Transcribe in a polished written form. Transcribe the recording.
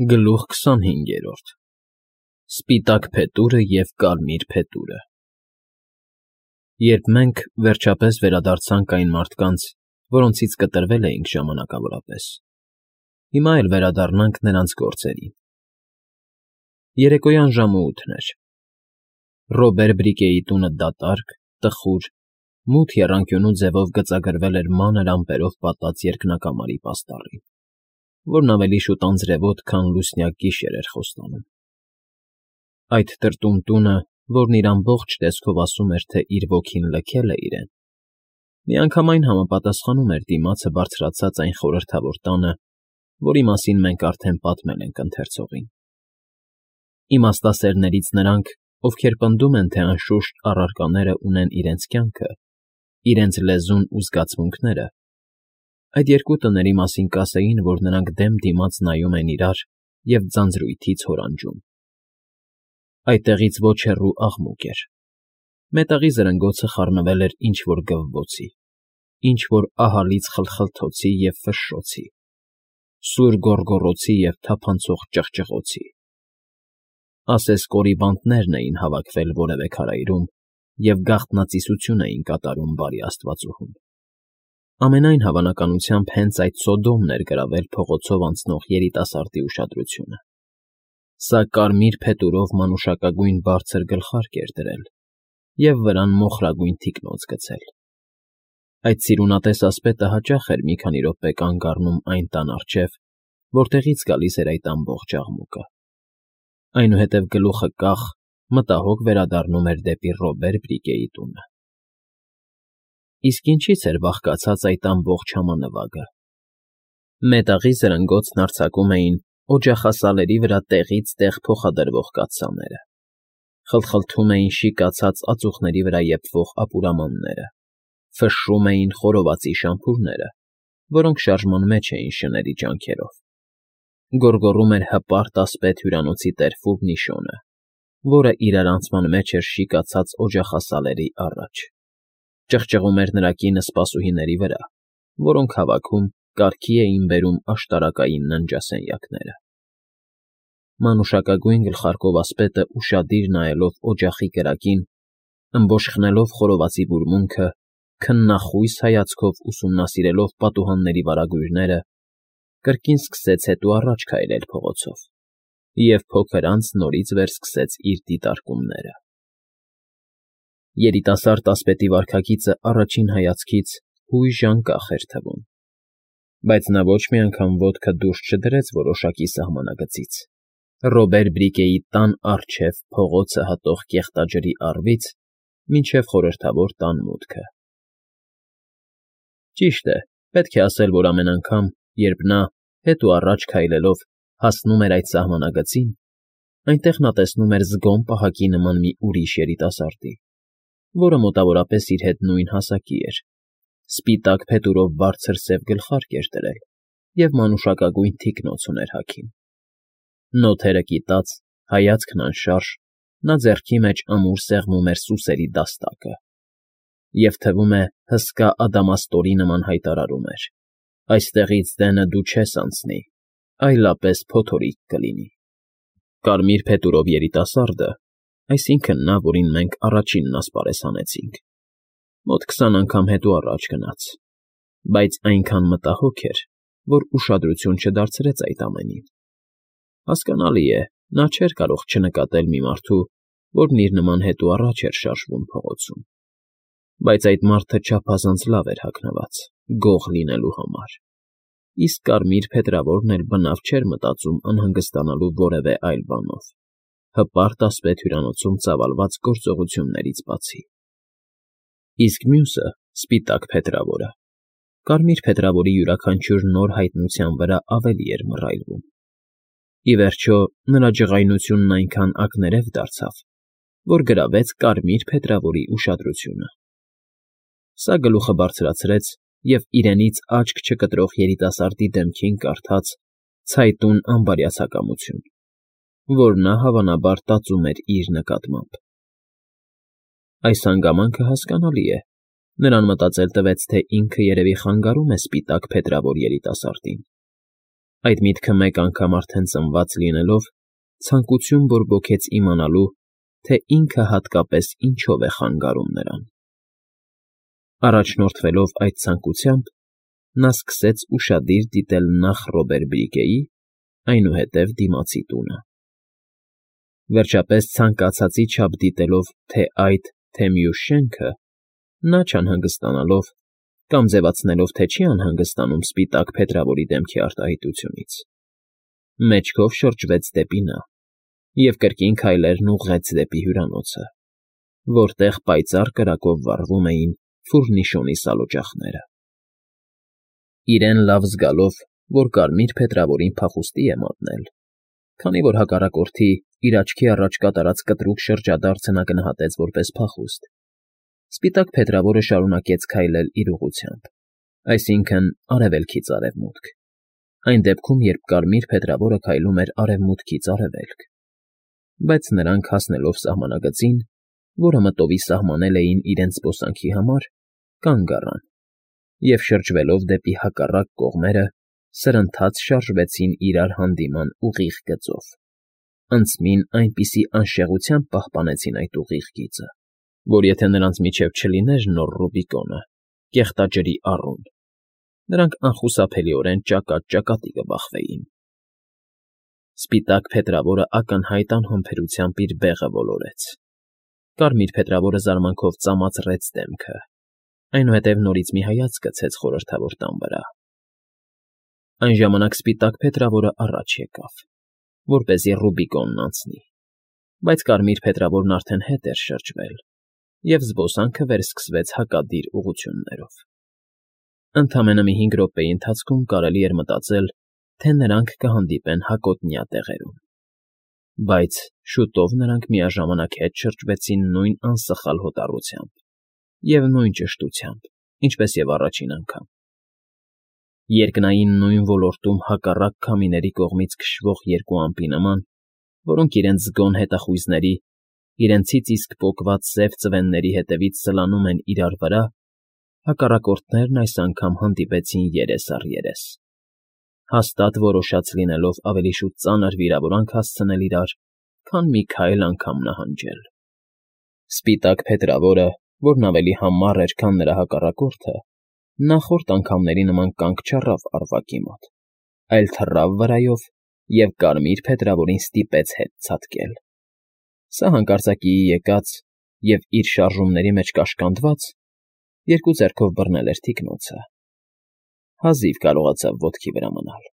Գլուխ 25 Սպիտակ փետուրը և կարմիր փետուրը Երբ մենք, վերջապես, վերադարձանք այն մարդկանց, որոնցից կտրվել էինք ժամանակավորապես, հիմա էլ վերադառնանք նրանց գործերին։ Երեկոյան ժամը 8 էր։ Ռոբեր Բրիկեի տունը դատարկ, տխուր, մութ եռանկյունու ձևով գծագրվել էր մանր ամպերով պատած երկնակամարի պաստառին, որն ավելի շուտ անձրևոտ, քան լուսնյակ գիշեր էր խոստանում։ Այդ տրտում տունը, որն իր ամբողջ տեսքով ասում էր, թե իր ոգին լքել է իրեն, միանգամայն համապատասխանում էր դիմացը բարձրացած այն խորհրդավոր տանը, որի մասին մենք արդեն պատմել ենք ընթերցողին։ Իմաստասերներից նրանք, ովքեր պնդում են, թե անշուշտ առարկաները ունեն իրենց կյանքը, իրենց լեզուն ու զգացմունքները, այդ երկու տների մասին կասեին, որ նրանք դեմ դիմաց նայում են իրար և ձանձրույթից հորանջում։ Այդտեղից ոչ հեռու աղմուկ էր։ Մետաղի զրնգոցը խառնվել էր ինչ֊որ գվվոցի, ինչ֊որ ահալից խլխլթոցի և ֆշշոցի, սուր գոռգոռոցի և թափանցող ճղճղոցի։ Ասես կորիբանտներն էին հավաքվել որևէ քարայրում և գաղտնածիսություն էին կատարում բարի աստվածուհուն։ Ամենայն հավանականությամբ հենց այդ Սոդոմն էր գրավել փողոցով անցնող երիտասարդի ուշադրությունը։ Սա կարմիր փետուրով մանուշակագույն բարձր գլխարկ էր դրել և վրան մոխրագույն թիկնոց գցել։ Այդ սիրունատես ասպետը հաճախ էր մի քանի րոպե կանգ առնում այն տան առջև, որտեղից գալիս էր այդ ամբողջ աղմուկը։ Այնուհետև գլուխը կախ, մտահոգ վերադառնում էր դեպի Ռոբեր Բրիկեի տունը։ Իսկ ինչի՞ց էր բաղկացած այդ ամբողջ համանվագը։ Մետաղի զրնգոցն արձակում էին օջախասալերի վրա տեղից տեղ փոխադրվող կաթսաները, խլխլթում էին շիկացած ածուխների վրա եփվող ապուրամանները, ֆշշում էին խորովածի շամփուրները, որոնք շարժման մեջ էին շների ջանքերով, գոռգոռում էր հպարտ ասպետ հյուրանոցի տեր Ֆուռնիշոնը, որը իրարանցման մեջ էր շիկացած օջախասալերի առաջ, ճղճղում էր նրա կինը սպասուհիների վրա, որոնք հավաքում, կարգի էին բերում աշտարակային ննջասենյակները։ Մանուշակագույն գլխարկով ասպետը ուշադիր նայելով օջախի կրակին, ըմբոշխնելով խորովածի բուրմունքը, քննախույս հայացքով ուսումնասիրելով պատուհանների վարագույրները, կրկին սկսեց հետո առաջ քայլել փողոցով և փոքր անց նորից վերսկսեց իր դիտարկումները։ Երիտասարդ ասպետի վարքագիծը առաջին հայացքից հույժ անկախ էր թվում, բայց նա ոչ մի անգամ ոտքը դուրս չդրեց որոշակի սահմանագծից, Ռոբեր Բրիկեի տան առջև փողոցը հատող կեղտաջրի առվից մինչև խորհրդավոր տան մուտքը։ Ճիշտ է, պետք է ասել, որ ամեն անգամ, երբ նա, հետ ու առաջ քայլելով, հասնում էր այդ սահմանագծին, այնտեղ նա տեսնում էր զգոմ պահակի նման մի ուրիշ երիտասարդի, որը մոտավորապես իր հետ նույն հասակի էր, սպիտակ փետուրով բարձր սև գլխարկ էր դրել և մանուշակագույն թիկնոց ուներ հագին։ Նոթերը կիտած, հայացքն անշարժ, նա ձեռքի մեջ ամուր սեղմում էր սուսերի դաստակը և, թվում է, հսկա ադամաստորի նման հայտարարում էր. «Այստեղից դենը դու չես անցնի, այլապես փոթորիկ կլինի»։ Կարմիր փետուրով երիտասարդը, այսինքն նա, որին մենք առաջինն ասպարեզ հանեցինք, մոտ 20 անգամ հետո առաջ գնաց, բայց այնքան մտահոգ էր, որ ուշադրություն չդարձրեց այդ ամենին։ Հասկանալի է, նա չէր կարող չնկատել մի մարդու, որն իր նման հետո առաջ էր շարժվում փողոցում, բայց այդ մարդը չափազանց լավ էր հագնված, գող լինելու համար, իսկ կարմիր փետրավորն էլ բնավ չէր մտածում անհանգստանալու որևէ այլ բանով, հպարտ ասպետ հյուրանոցում ծավալված գործողություններից բացի։ Իսկ մյուսը՝ սպիտակ փետրավորը, կարմիր փետրավորի յուրաքանչյուր նոր հայտնության վրա ավելի էր մռայլվում։ Ի վերջո, նրա ջղայնությունն այնքան ակներև դարձավ, որ գրավեց կարմիր փետրավորի ուշադրությունը։ Սա գլուխը բարձրացրեց և իրենից աչք չկտրող երիտասարդի դեմքին կարդաց ցայտուն անբարյացակամություն, որ նա, հավանաբար, տածում էր իր նկատմամբ։ Այս հանգամանքը հասկանալի է, նրան մտածել տվեց, թե ինքը երևի խանգարում է սպիտակ փետրավոր երիտասարդին։ Այդ միտքը մեկ անգամ արդեն ծնված լինելով, ցանկություն բորբոքեց իմանալու, թե ինքը հատկապես ինչով է խանգարում նրան։ Առաջնորդվելով այդ ցանկությամբ, նա սկսեց ուշադիր դիտել նախ Ռոբեր֊Բրիգեի, այնուհետև դիմացի տունը։ Վերջապես ցանկացածի չափ դիտելով թե այդ, թե մյուս շենքը, նա չանհանգստանալով կամ ձևացնելով, թե չի անհանգստանում սպիտակ փետրավորի դեմքի արտահայտությունից, մեջքով շրջվեց դեպի նա և կրկին քայլերն ուղղեց դեպի հյուրանոցը, որտեղ պայծառ կրակով վառվում էին ֆուրնիշոնի սալօջախները։ Իրեն լավ զգալով, որ կարմիր փետրավորին փախուստի է մատնել, քանի որ հակառակորդի իր աչքի առաջ կատարած կտրուկ շրջադարձը նա գնահատեց որպես փախուստ, սպիտակ փետրավորը շարունակեց քայլել իր ուղղությամբ, այսինքն՝ արևելքից արևմուտք, այն դեպքում, երբ կարմիր փետրավորը քայլում էր արևմուտքից արևելք, բայց նրանք հասնելով սահմանագծին, որը մտովի սահմանել էին իրենց զբոսանքի համար, կանգ առան և, շրջվելով դեպի հակառակ կողմերը, սրընթաց շարժվեցին իրար հանդիման ուղիղ գծով, անցմին այնպիսի անշեղությամբ պահպանեցին այդ ուղիղ գիծը, որ եթե նրանց միջև չլիներ նոր Ռուբիկոնը, կեղտաջրի առուն, նրանք անխուսափելիորեն ճակատ֊ճակատի կբախվեին։ Սպիտակ փետրավորը ակնհայտ անհամբերությամբ իր բեղը ոլորեց։ Կարմիր փետրավորը զարմանքով ծամացրեց դեմքը, այնուհետև նորից մի հայացք գցեց խորհրդավոր տան վրա։ Այն ժամանակ սպիտակ փետրավորը առաջ եկավ, որպեսզի Ռուբիկոնն անցնի, բայց կարմիր փետրավորն արդեն հետ էր շրջվել, և զբոսանքը վերսկսվեց հակադիր ուղղություններով։ Ընդամենը մի 5 րոպեի ընթացքում կարելի էր մտածել, թե նրանք կհանդիպեն հակոտնյա տեղերում, բայց շուտով նրանք միաժամանակ հետ շրջվեցին նույն անսխալ հոտառությամբ և նույն ճշտությամբ, ինչպես և առաջին անգամ։ Երկնային նույն ոլորտում հակառակ քամիների կողմից քշվող երկու ամպի նման, որոնք իրենց զգոն հետախույզների, իրենցից իսկ պոկված սև ծվենների հետևից սլանում են իրար վրա, հակառակորդներն այս անգամ հանդիպեցին երես առ երես, հաստատ որոշած լինելով ավելի շուտ ծանր վիրավորանք հասցնել իրար, քան մի քայլ անգամ նահանջել։ Սպիտակ փետրավորը, որն ավելի համառ էր, քան նրա հակառակորդը, նախորդ անգամների նման կանգ չառավ առվակի մոտ, այլ թռավ վրայով և կարմիր փետրավորին ստիպեց հետ ցատկել։ Սա հանկարծակիի եկած և, իր շարժումների մեջ կաշկանդված, երկու ձեռքով բռնել էր թիկնոցը, հազիվ կարողացավ ոտքի վրա մնալ։